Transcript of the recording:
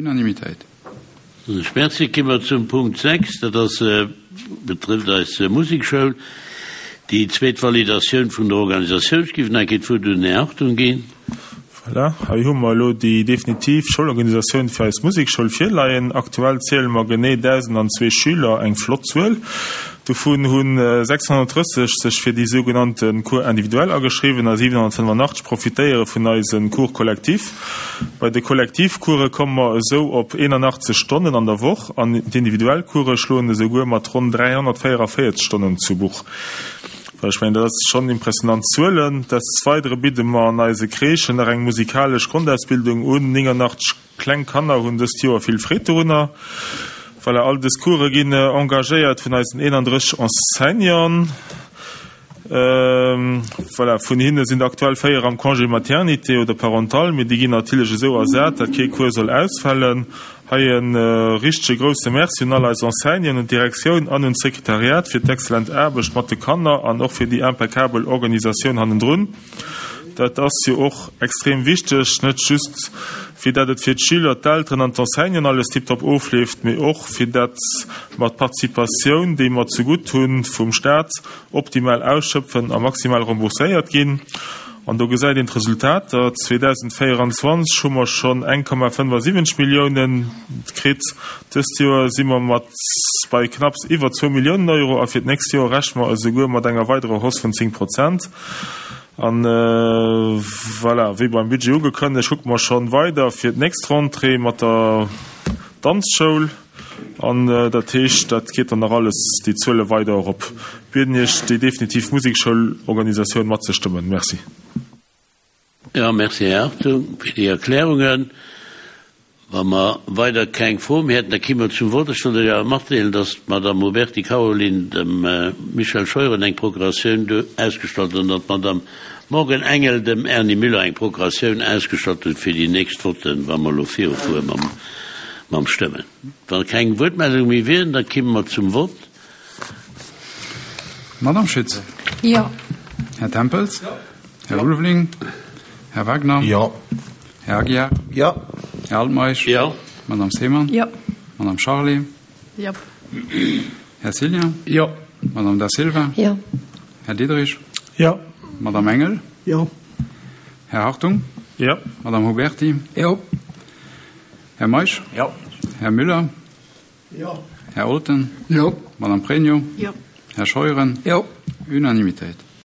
Unanimitéit. Merci. Gi mer zum Punkt 6, dat ass, betrëfft eis Musekschoul. Déi zweet Validatioun vun der Organisatioun. Ech géif nach eng Kéier d'Wuert un den Här Hartung ginn. Voilà, hei hu mer elo déi definitiv Schoulorganisatioun fir eis Musekschoul virleien. Aktuell ziele mer genee 1.002 Schüler, eng flott Zuel. Dovun hu 630 sech fir déi sougenannte Cours individuels ageschriwwen a 785 profitéiere vun eise Cours collectifs. Bei de Kollektivcourse komme mer esou op 81 Stonnen an der Woch an d'individuell Course schloen esouguer mat ronn 344 Stonnen zu Buch. Ech mengen, dat ass schonn impressionant Zuelen. Des Weidere bidde mer an eise Crèchen nach eng musikalesch Grondausbildung un. 89 kleng Kanner hunn dëst Joer vill Freed dorunner. Voilà, all dës Course ginn engagéiert vun eisen 31 Enseignanten. Voilà, vun hinne sinn der aktuell 4 am Congé maternité oder parental, mee déi ginn natierlech esou ersat, datt kee Cours soll ausfalen. Hei e richtege grousse Merci un all eis Enseignanten, un d'Direktioun an un d'Sekretariat fir d'exzellent Aarbecht mat de Kanner an och fir déi impeccabel Organisatioun hannendrun. Dat ass jo och extrem wichteg, net just fir dat et fir d'Schüler, d'Elteren an d'Enseignanten alles tiptop ofleeft, mee och fir dat mer d'Participatioun, déi mer zegutt hunn vum Staat, optimal ausschöpfen a maximal rembourséiert ginn. An do gesäit een d'Resultater, 2024 hu mer schonn 1,75 Milliounen kritt, dëst Joer si mer mat bei knapps iwwer zwou Milliounen Euro a fir d'nächst Joer rechne mer esouguer mat enger weiderer Hausse vun 10 Prozent. An voilà, wéi beim Budget ugekënnegt, kucke mer schonn weider fir d'nächst Rentrée mat der Danzschoul. An dat heescht, dat geet dann nach alles, déi Zuele weider erop. Bieden Iech, déi definitiv Musekschoulorganisatioun matzestëmmen. Merci. Jo, merci, Här Hartung, fir déi Erklärungen. Wa mer weider keng Froe méi hätten, da kéime mer zum Vott. Ech wollt Iech awer matdeelen, dass d'Madame Huberty Caroline dem Michel Scheuren eng Procuratioun ausgestallt huet an datt d'Madame Morgan Engel dem Erny Müller eng Procuratioun ausgestallt huet fir déi nächst Votten, wa mer elo virufuere mam Stëmmen. Wa keng Wuertmeldunge méi wieren, da kéime mer zum Vott. Madame Schütz. Jo. Här Tempels. Jo. Här Ulveling. Här Wagner. Jo. Här Aguiar. Jo. Här Altmeisch. Jo. Madame Seemann. Jo. Madame Charlé. Jo. Här Cillien. Jo. Madame Da Silva. Jo. Här Diderich. Jo. Madame Engel. Jo. Här Hartung. Jo. Madame Huberty. Jo. Här Meisch. Jo. Här Müller. Jo. Här Olten. Jo. Madame Pregno. Jo. Här Scheuren. Jo. Unanimitéit.